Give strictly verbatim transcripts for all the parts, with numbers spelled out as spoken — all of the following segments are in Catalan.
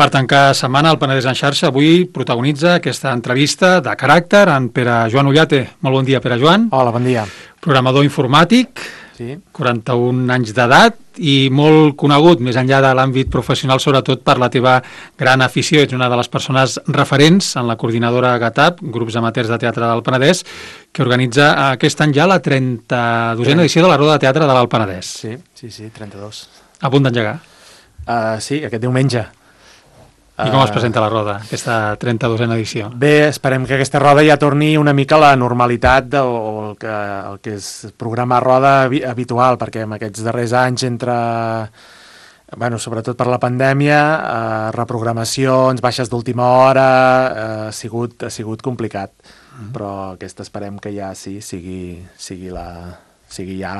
Per tancar setmana, el Penedès en xarxa avui protagonitza aquesta entrevista de caràcter en Pere Joan Ullate. Molt bon dia, Pere Joan. Hola, bon dia. Programador informàtic, sí. quaranta-un anys d'edat i molt conegut, més enllà de l'àmbit professional, sobretot per la teva gran afició. Ets una de les persones referents en la coordinadora GATAP, Grups Amateurs de Teatre del Penedès, que organitza aquest any ja la trenta-dosena edició de la Roda de Teatre de l'Alt Penedès. Sí, sí, sí, trenta-dos. A punt d'engegar. Uh, sí, aquest diumenge. I com es presenta la roda, aquesta trenta-dosena edició? Bé, esperem que aquesta roda ja torni una mica a la normalitat de, o el que, el que és programar roda habitual, perquè en aquests darrers anys entre, bueno, sobretot per la pandèmia, eh, reprogramacions, baixes d'última hora, eh, ha, sigut, ha sigut complicat. Mm. Però aquesta esperem que ja sí, sigui, sigui la... sigui ja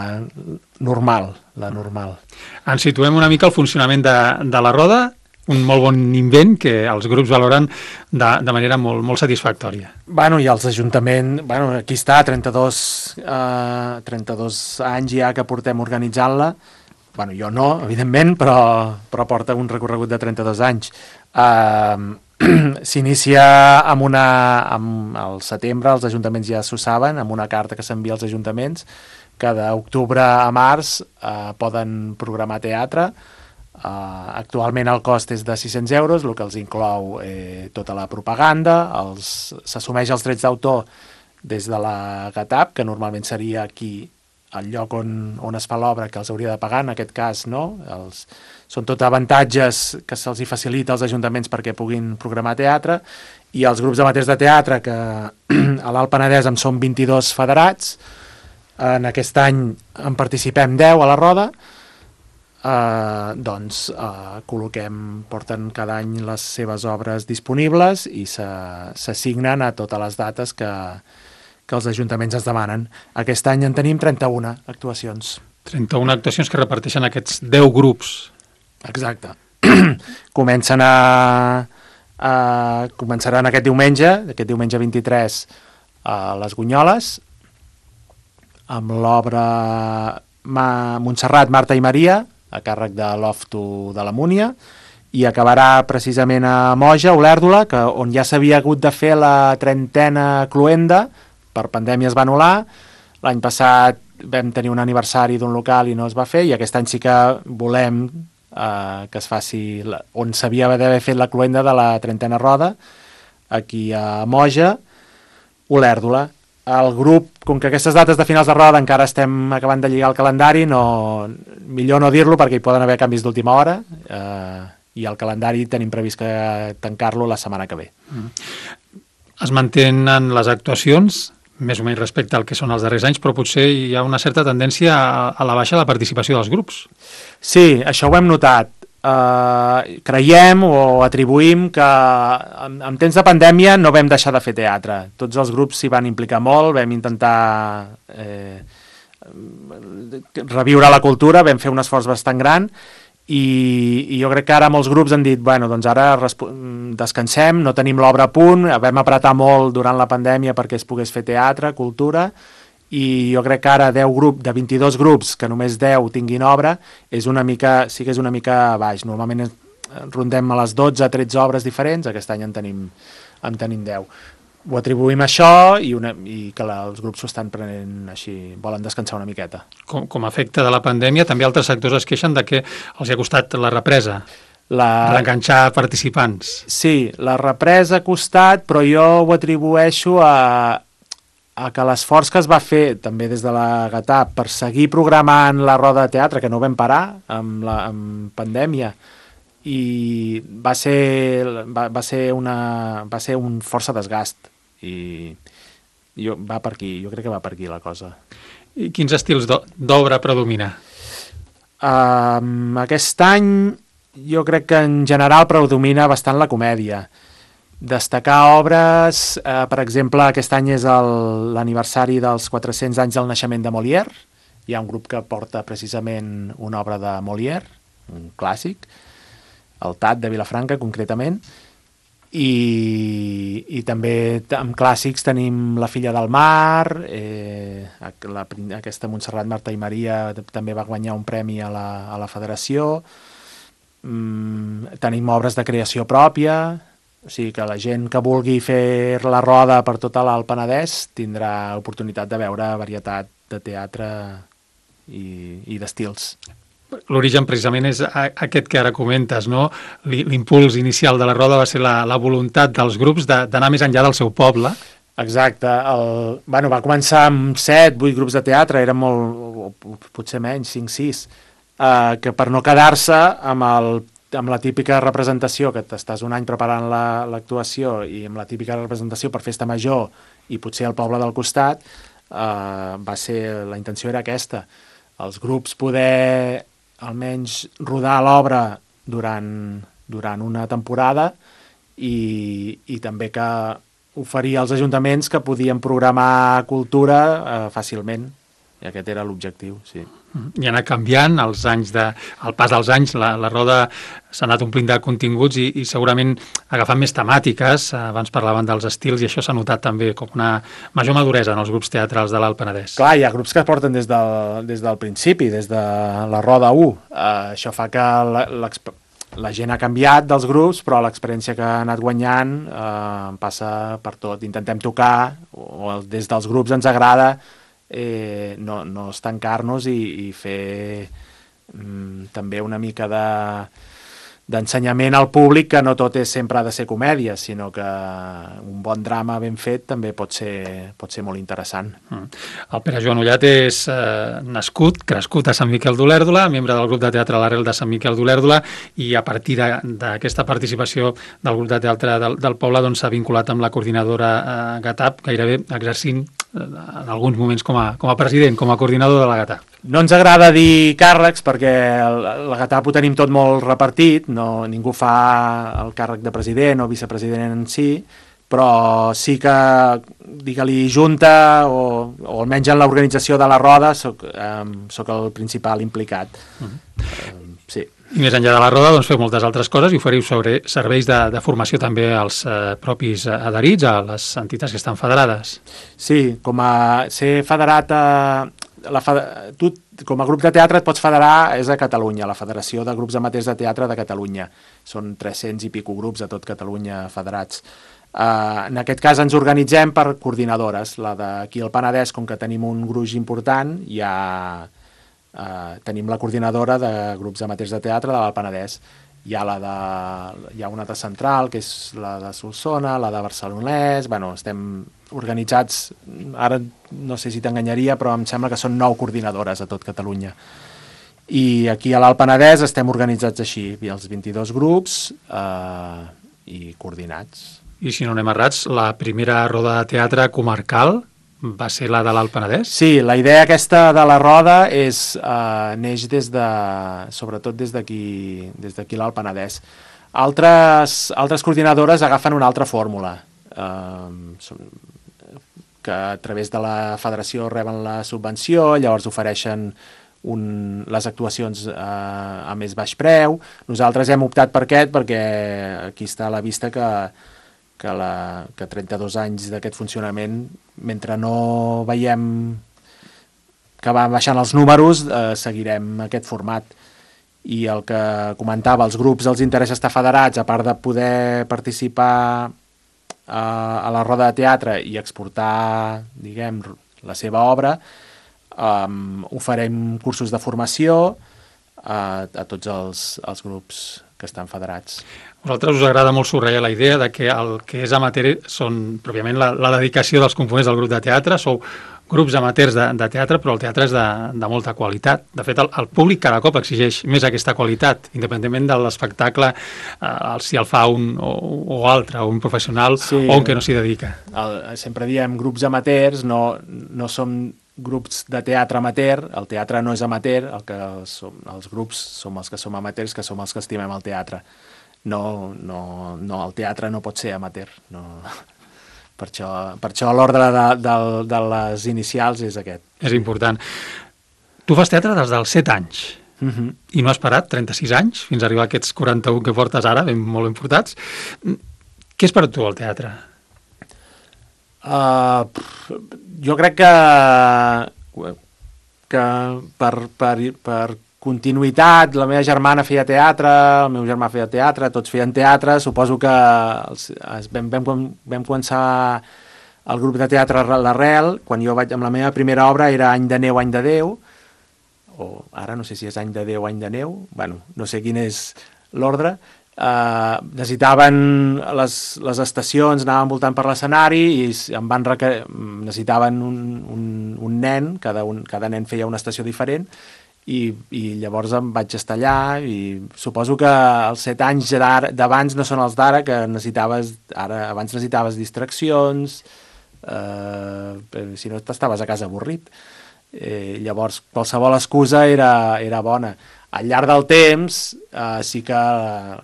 normal, la normal. Ens situem una mica al funcionament de, de la roda, un molt bon invent que els grups valoren de, de manera molt, molt satisfactòria. Bueno, i els ajuntaments, bueno, aquí està, trenta-dos, eh, trenta-dos anys ja que portem organitzant-la. Bueno, jo no, evidentment, però, però porta un recorregut de trenta-dos anys. Eh, S'inicia amb una... Amb el setembre, els ajuntaments ja s'ho saben, amb una carta que s'envia als ajuntaments, que d'octubre a març eh, poden programar teatre. Uh, actualment el cost és de sis-cents euros, el que els inclou eh, tota la propaganda, s'assumeix els drets d'autor des de la GATAP, que normalment seria aquí el lloc on, on es fa l'obra, que els hauria de pagar, en aquest cas no, els, són tot avantatges que se'ls facilita als ajuntaments perquè puguin programar teatre, i els grups amateurs de teatre, que a l'Alt Penedès en són vint-i-dos federats, en aquest any en participem deu a la roda. Uh, doncs uh, col·loquem, porten cada any les seves obres disponibles i s'assignen a totes les dates que, que els ajuntaments es demanen. Aquest any en tenim trenta-una actuacions. trenta-una actuacions que reparteixen aquests deu grups. Exacte. Comencen a, a... Començaran aquest diumenge, aquest diumenge vint-i-tres, a les Gunyoles, amb l'obra Montserrat, Marta i Maria, a càrrec de l'Ofto de la Múnia, i acabarà precisament a Moja, Olèrdola, que, on ja s'havia hagut de fer la trentena cluenda, per pandèmia es va anul·lar, l'any passat vam tenir un aniversari d'un local i no es va fer, i aquest any sí que volem eh, que es faci, la, on s'havia d'haver fet la cluenda de la trentena roda, aquí a Moja, Olèrdola. El grup, com que aquestes dates de finals de roda encara estem acabant de lligar el calendari, no, millor no dir-lo perquè hi poden haver canvis d'última hora, eh, i el calendari tenim previst que tancar-lo la setmana que ve. Mm. Es mantenen les actuacions, més o menys respecte al que són els darrers anys, però potser hi ha una certa tendència a, a la baixa de la participació dels grups. Sí, això ho hem notat. Uh, creiem o atribuïm que en, en temps de pandèmia no vam deixar de fer teatre. Tots els grups s'hi van implicar molt, vam intentar eh, reviure la cultura, vam fer un esforç bastant gran i, i jo crec que ara molts grups han dit, bueno, doncs ara descansem, no tenim l'obra a punt, vam apretar molt durant la pandèmia perquè es pogués fer teatre, cultura, i jo crec que ara deu grup, de vint-i-dos grups, que només deu tinguin obra, és una mica, sí que és una mica baix. Normalment rondem a les dotze a tretze obres diferents, aquest any en tenim, en tenim deu. Ho atribuïm a això i, una, i que la, els grups s'ho estan prenent així, volen descansar una miqueta. Com, com a efecte de la pandèmia, també altres sectors es queixen de que els ha costat la represa, la... reenganxar participants. Sí, la represa ha costat, però jo ho atribueixo a... a que l'esforç que es va fer també des de la GATAP per seguir programant la roda de teatre, que no vam parar amb la amb pandèmia, i va ser, va, va ser, una, va ser un força desgast i jo, va per aquí, jo crec que va per aquí la cosa. I quins estils d'obra predomina? Um, aquest any jo crec que en general predomina bastant la comèdia. Destacar obres, eh, per exemple, aquest any és l'aniversari dels quatre-cents anys del naixement de Molière. Hi ha un grup que porta precisament una obra de Molière, un clàssic, el Tat de Vilafranca, concretament, i, i també amb clàssics tenim La filla del mar, eh, la, aquesta Montserrat, Marta i Maria també va guanyar un premi a la, a la federació. mm, tenim obres de creació pròpia, o sigui que la gent que vulgui fer la roda per tota l'Alt Penedès tindrà oportunitat de veure varietat de teatre i, i d'estils. L'origen precisament és aquest que ara comentes, no? L'impuls inicial de la roda va ser la, la voluntat dels grups d'anar més enllà del seu poble. Exacte. El, bueno, va començar amb set, vuit grups de teatre, eren molt, potser menys, cinc, sis, eh, que per no quedar-se amb, el, amb la típica representació, que t'estàs un any preparant l'actuació la, i amb la típica representació per festa major i potser al poble del costat, eh, va ser, la intenció era aquesta. Els grups poder almenys rodar l'obra durant, durant una temporada i, i també que oferir als ajuntaments que podien programar cultura eh, fàcilment. I aquest era l'objectiu, sí. I ha anat canviant els anys de, al pas dels anys, la, la roda s'ha anat omplint de continguts i, i segurament agafant més temàtiques. Abans parlaven dels estils i això s'ha notat també com una major maduresa en els grups teatrals de l'Alt Penedès. Clar, hi ha grups que es porten des del, des del principi, des de la roda u. Uh, això fa que la, la gent ha canviat dels grups, però l'experiència que ha anat guanyant uh, passa per tot. Intentem tocar, o des dels grups ens agrada, Eh, no, no estancar-nos i, i fer mm, també una mica de d'ensenyament al públic, que no tot és sempre ha de ser comèdia, sinó que un bon drama ben fet també pot ser, pot ser molt interessant. Mm. El Pere Joan Ullat és eh, nascut, crescut a Sant Miquel d'Olèrdola, membre del grup de teatre a l'Arrel de Sant Miquel d'Olèrdola, i a partir d'aquesta participació del grup de teatre del, del poble doncs, s'ha vinculat amb la coordinadora eh, GATAP, gairebé exercint en alguns moments com a, com a president, com a coordinador de la GATAP. No ens agrada dir càrrecs perquè la GATAP ho tenim tot molt repartit, no, ningú fa el càrrec de president o vicepresident en si, però sí que, digue-li junta o, o almenys en l'organització de la roda soc, eh, soc el principal implicat. Uh-huh. eh, sí. I més enllà de la roda, doncs, feu moltes altres coses i oferiu sobre serveis de, de formació també als eh, propis adherits, a les entitats que estan federades. Sí, com a ser federat a... La fed... tu, com a grup de teatre et pots federar és a Catalunya, la Federació de Grups Amateurs de Teatre de Catalunya. Són tres-cents i pico grups a tot Catalunya federats. Uh, en aquest cas ens organitzem per coordinadores. La d'aquí al Penedès, com que tenim un gruix important, hi ha... Uh, tenim la coordinadora de grups amateurs de teatre de l'Alt Penedès. Hi ha, la de, hi ha una de Central, que és la de Solsona, la de Barcelonès. Bueno, estem organitzats, ara no sé si t'enganyaria, però em sembla que són nou coordinadores a tot Catalunya. I aquí a l'Alt Penedès estem organitzats així, els vint-i-dos grups eh, i coordinats. I si no anem errats, la primera roda de teatre comarcal va ser la de l'Alt Penedès? Sí, la idea aquesta de la roda és, eh, neix des de, sobretot des d'aquí des d'aquí l'Alt Penedès. Altres, altres coordinadores agafen una altra fórmula, eh, que a través de la federació reben la subvenció, llavors ofereixen un, les actuacions eh, a més baix preu. Nosaltres hem optat per aquest perquè aquí està a la vista que que, la, que trenta-dos anys d'aquest funcionament, mentre no veiem que van baixant els números, eh, seguirem aquest format. I el que comentava, els grups els interessa estar federats, a part de poder participar eh, a la roda de teatre i exportar, diguem, la seva obra, eh, oferim cursos de formació a, a tots els, els grups que estan federats. A vosaltres us agrada molt subratllar la idea de que el que és amateur són pròpiament la, la dedicació dels components del grup de teatre, sou grups amateurs de, de teatre, però el teatre és de, de molta qualitat. De fet, el, el públic cada cop exigeix més aquesta qualitat, independentment de l'espectacle, eh, si el fa un o, o altre, un professional sí, o un que no s'hi dedica. El, sempre diem grups amateurs, no, no som grups de teatre amateur, el teatre no és amateur, el que som, els grups som els que som amateurs, que som els que estimem el teatre. No, no, no, el teatre no pot ser amateur, no... Per això, per això l'ordre de, de, de les inicials és aquest. És important. Tu fas teatre des dels set anys uh-huh. i no has parat trenta-sis anys fins a arribar a aquests quaranta-un que portes ara, ben molt ben portats. Què és per tu el teatre? Uh, jo crec que, que per, per, per continuïtat, la meva germana feia teatre, el meu germà feia teatre, tots feien teatre, suposo que els, es, vam, vam, vam començar el grup de teatre l'Arrel, quan jo vaig, amb la meva primera obra era Any de neu, any de Déu, o ara no sé si és Any de Déu, any de neu, bueno, no sé quin és l'ordre. Uh, necessitaven les, les estacions, anaven voltant per l'escenari i em van requer... necessitaven un, un, un nen, cada, un, cada nen feia una estació diferent i, i llavors em vaig estar allà i suposo que els set anys d'abans no són els d'ara, que necessitaves ara, abans necessitaves distraccions, uh, si no t'estaves a casa avorrit, eh, llavors qualsevol excusa era, era bona. Al llarg del temps, eh, sí que,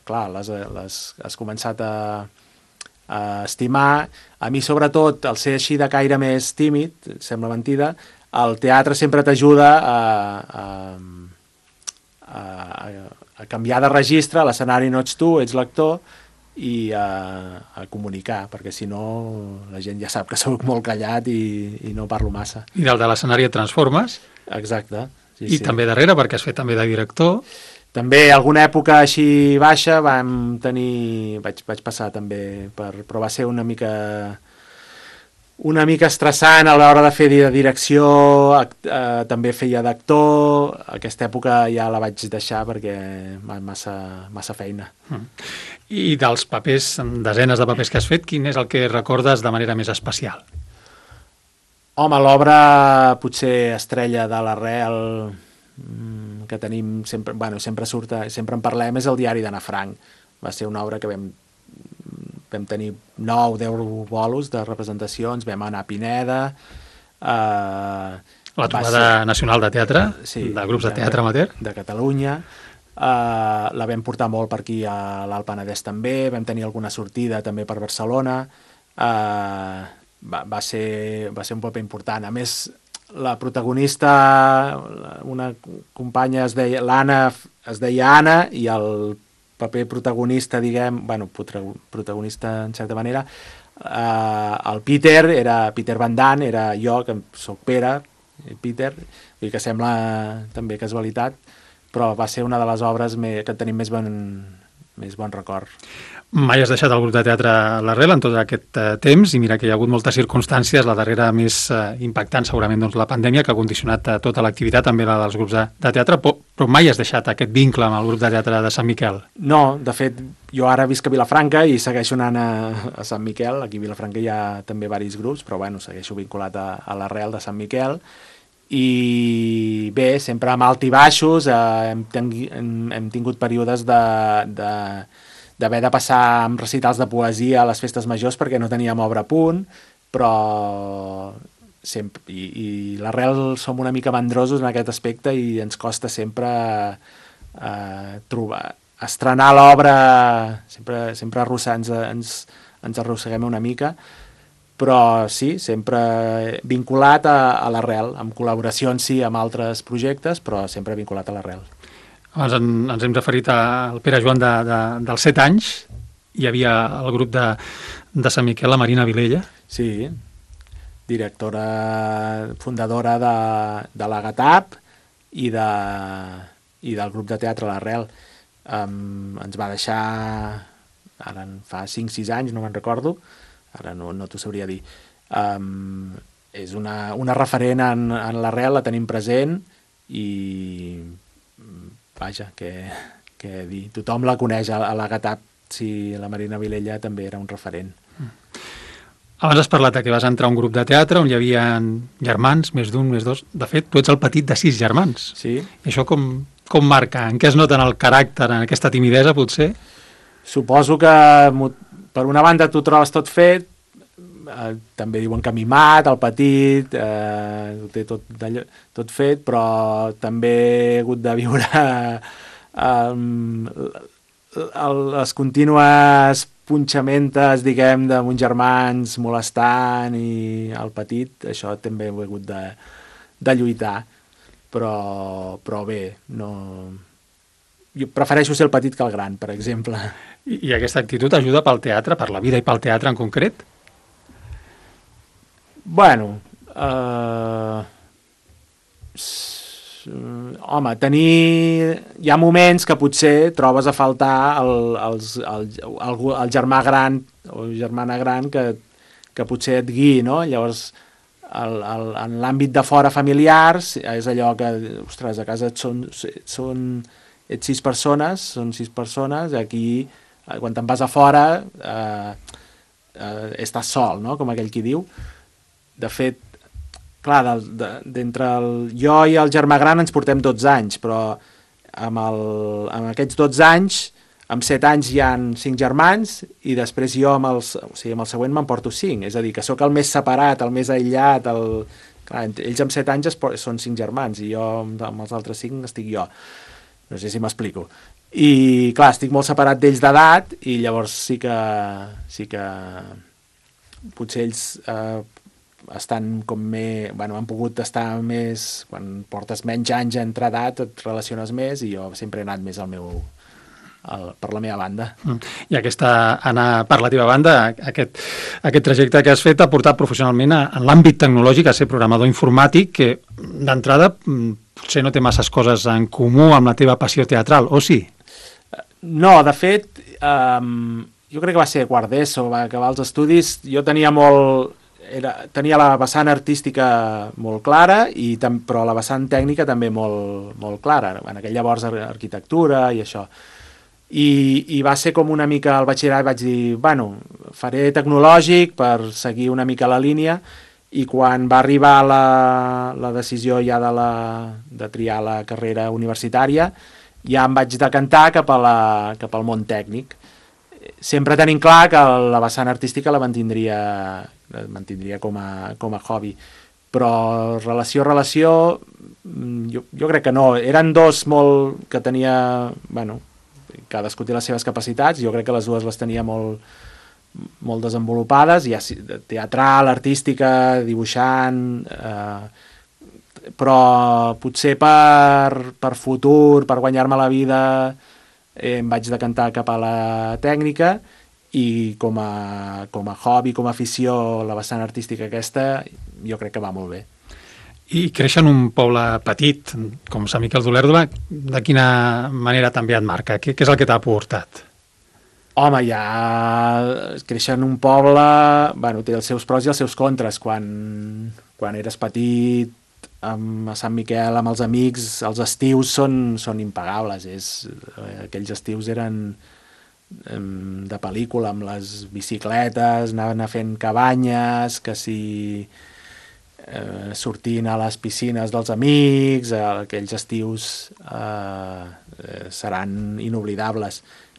clar, les, les has començat a, a estimar. A mi, sobretot, el ser així de caire més tímid, sembla mentida, el teatre sempre t'ajuda a, a, a, a canviar de registre, a l'escenari no ets tu, ets l'actor, i a, a comunicar, perquè si no la gent ja sap que soc molt callat i, i no parlo massa. I del de l'escenari et transformes. Exacte. Sí, I sí. també darrere, perquè has fet també de director. També alguna època així baixa vam tenir... Vaig, vaig passar també per... Però va ser una mica... Una mica estressant a l'hora de fer de direcció, eh, també feia d'actor. Aquesta època ja la vaig deixar perquè massa, massa feina. Mm. I dels papers, desenes de papers que has fet, quin és el que recordes de manera més especial? Home, l'obra potser estrella de l'Arrel que tenim sempre, bueno, sempre surt, sempre en parlem, és el diari d'Anna Frank. Va ser una obra que vam, vam tenir nou, deu bolos de representacions, vam anar a Pineda. Eh, La trobada ser... nacional de teatre, sí, de grups de teatre amateur. De Catalunya. Eh, la vam portar molt per aquí a l'Alt Penedès també, vam tenir alguna sortida també per Barcelona. Eh, Va, va, ser, va ser un paper important. A més, la protagonista, una companya es deia, l'Anna es deia Anna, i el paper protagonista, diguem, bueno, protagonista en certa manera, eh, el Peter, era Peter Van Damme, era jo, que soc Pere, Peter, i que sembla també casualitat, però va ser una de les obres me, que tenim més bon, més bon record. Mai has deixat el grup de teatre a l'Arrel en tot aquest eh, temps, i mira que hi ha hagut moltes circumstàncies, la darrera més eh, impactant segurament doncs, la pandèmia, que ha condicionat eh, tota l'activitat, també la dels grups de, de teatre, però, però mai has deixat aquest vincle amb el grup de teatre de Sant Miquel? No, de fet, jo ara visc a Vilafranca i segueixo anant a, a Sant Miquel. Aquí a Vilafranca hi ha també diversos grups, però bueno, segueixo vinculat a, a l'Arrel de Sant Miquel. I bé, sempre amb alt i baixos, eh, hem, tengui, hem, hem tingut períodes de... de d'haver de passar amb recitals de poesia a les festes majors perquè no teníem obra a punt, però sempre, i, i l'Arrel som una mica mandrosos en aquest aspecte i ens costa sempre eh, trobar, estrenar l'obra, sempre, sempre arrossar, ens, ens, ens arrosseguem una mica, però sí, sempre vinculat a, a l'Arrel, amb col·laboracions sí amb altres projectes, però sempre vinculat a l'Arrel. Abans en, ens hem referit al Pere Joan de, de, dels set anys. Hi havia el grup de, de Sant Miquel, la Marina Vilella. Sí, directora, fundadora de, de la GATAP i, de, i del grup de teatre l'Arrel. Um, ens va deixar, ara fa cinc sis anys, no me'n recordo, ara no, no t'ho sabria dir. Um, és una, una referent en, en l'Arrel, la tenim present i... vaja, que, que dir, tothom la coneix a la GATAP, si la Marina Vilella també era un referent. Abans has parlat que vas entrar a un grup de teatre on hi havia germans, més d'un, més dos. De fet, tu ets el petit de sis germans. Sí. I això com, com marca? En què es nota en el caràcter, en aquesta timidesa, potser? Suposo que, per una banda, tu trobes tot fet, eh, també diuen que mimat, el petit, eh, ho té tot, d'allò, tot fet, però també he hagut de viure eh, les contínues punxamentes, diguem, de uns germans molestant i el petit, això també ho he hagut de, de lluitar, però, però bé, no... Jo prefereixo ser el petit que el gran, per exemple. I, i aquesta actitud ajuda pel teatre, per la vida i pel teatre en concret? Bueno, eh, home, tenir... Hi ha moments que potser trobes a faltar el, els, el, el, el germà gran o germana gran que, que potser et guiï, no? Llavors, el, el, en l'àmbit de fora familiars, és allò que, ostres, a casa et són, són, ets sis persones, són sis persones, aquí, quan te'n vas a fora, eh, eh, estàs sol, no? Com aquell qui diu. De fet, clar, d'entre el, jo i el germà gran ens portem dotze anys, però amb, el, amb aquests dotze anys, amb set anys hi han cinc germans i després jo amb, els, o sigui, amb el següent me'n porto cinc, és a dir, que sóc el més separat, el més aïllat, el, clar, ells amb set anys es, són cinc germans i jo amb els altres cinc estic jo. No sé si m'explico. I clar, estic molt separat d'ells d'edat i llavors sí que, sí que potser ells... Eh, estan com més, bueno, han pogut estar més, quan portes menys anys entre edat et relaciones més i jo sempre he anat més al meu, al, per la meva banda. I aquesta, anar per la teva banda, aquest, aquest trajecte que has fet ha portat professionalment a, en l'àmbit tecnològic a ser programador informàtic, que d'entrada potser no té masses coses en comú amb la teva passió teatral, o sí? No, de fet, um, jo crec que va ser quart d'ESO, va acabar els estudis, jo tenia molt... Era, tenia la vessant artística molt clara, i tam, però la vessant tècnica també molt, molt clara. En aquell llavors arquitectura i això. I, I va ser com una mica al batxillerat, vaig dir, bueno, faré tecnològic per seguir una mica la línia, i quan va arribar la, la decisió ja de, la, de triar la carrera universitària, ja em vaig decantar cap, a la, cap al món tècnic. Sempre tenint clar que la vessant artística la mantindria... mantindria com a, com a hobby, però relació a relació jo, jo crec que no, eren dos molt que tenia, bueno, cadascú té les seves capacitats, jo crec que les dues les tenia molt, molt desenvolupades, ja teatral, artística, dibuixant, eh, però potser per, per futur, per guanyar-me la vida, eh, em vaig decantar cap a la tècnica, i com a, com a hobby, com a afició, la vessant artística aquesta, jo crec que va molt bé. I créixer en un poble petit, com Sant Miquel d'Olèrdola, de quina manera també et marca? Què, què és el que t'ha aportat? Home, ja créixer en un poble, bueno, té els seus pros i els seus contres. Quan, quan eres petit, amb a Sant Miquel, amb els amics, els estius són, són impagables. És, aquells estius eren... de pel·lícula, amb les bicicletes, anaven a fent cabanyes, que si eh, sortint a les piscines dels amics, eh, aquells estius eh, eh, seran inoblidables.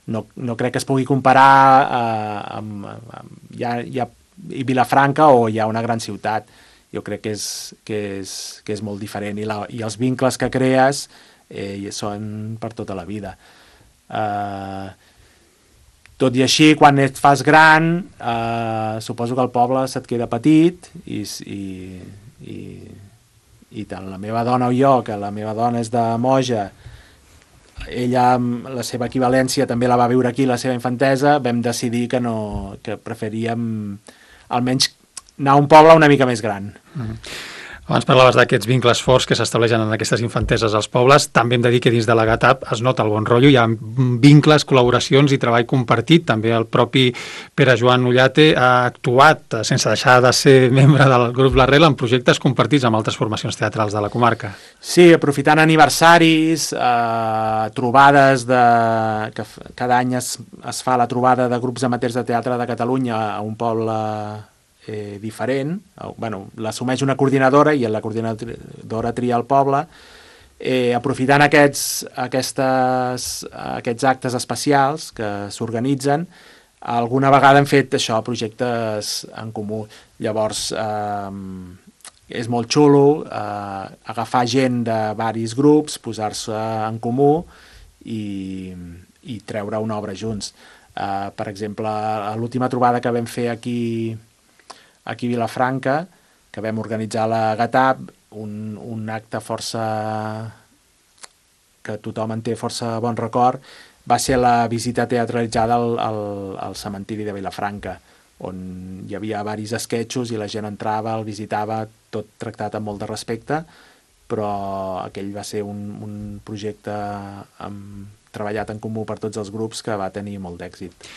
No, no crec que es pugui comparar eh, amb, amb ja, ja, Vilafranca o ja una gran ciutat. Jo crec que és, que és, que és molt diferent i, la, i els vincles que crees eh, són per tota la vida. Eh, Tot i així, quan et fas gran, eh, suposo que el poble se't queda petit i, i, i, i tant la meva dona o jo, que la meva dona és de Moja, ella, la seva equivalència, també la va viure aquí, la seva infantesa, vam decidir que, no, que preferíem almenys anar a un poble una mica més gran. Mm-hmm. Abans parlaves d'aquests vincles forts que s'estableixen en aquestes infanteses als pobles. També hem de dir que dins de la GATAP es nota el bon rotllo, hi ha vincles, col·laboracions i treball compartit. També el propi Pere Joan Ullate ha actuat, sense deixar de ser membre del grup L'Arrel, en projectes compartits amb altres formacions teatrals de la comarca. Sí, aprofitant aniversaris, eh, trobades de... que cada any es, es fa la trobada de grups amateurs de teatre de Catalunya a un poble Eh, diferent, bueno, l'assumeix una coordinadora i la coordinadora tria el poble, eh, aprofitant aquests, aquestes, aquests actes especials que s'organitzen, alguna vegada hem fet això, projectes en comú. Llavors, eh, és molt xulo eh, agafar gent de varis grups, posar-se en comú i, i treure una obra junts. Eh, per exemple, a l'última trobada que vam fer aquí aquí a Vilafranca, que vam organitzar a la GATAP, un, un acte força... que tothom en té força bon record, va ser la visita teatralitzada al, al, al cementiri de Vilafranca, on hi havia varis esquetxos i la gent entrava, el visitava, tot tractat amb molt de respecte, però aquell va ser un, un projecte amb, treballat en comú per tots els grups que va tenir molt d'èxit.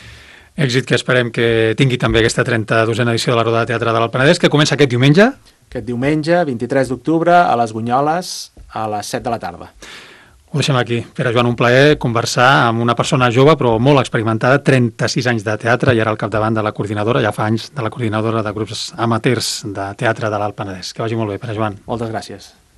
Èxit que esperem que tingui també aquesta trenta-dosena edició de la Roda de Teatre de l'Alt Penedès, que comença aquest diumenge. Aquest diumenge, vint-i-tres d'octubre, a les Bunyoles, a les set de la tarda. Ho deixem aquí. Pere Joan, un plaer conversar amb una persona jove però molt experimentada, trenta-sis anys de teatre i ara al capdavant de la coordinadora, ja fa anys, de la coordinadora de grups amateurs de teatre de l'Alt Penedès. Que vagi molt bé, Pere Joan. Moltes gràcies.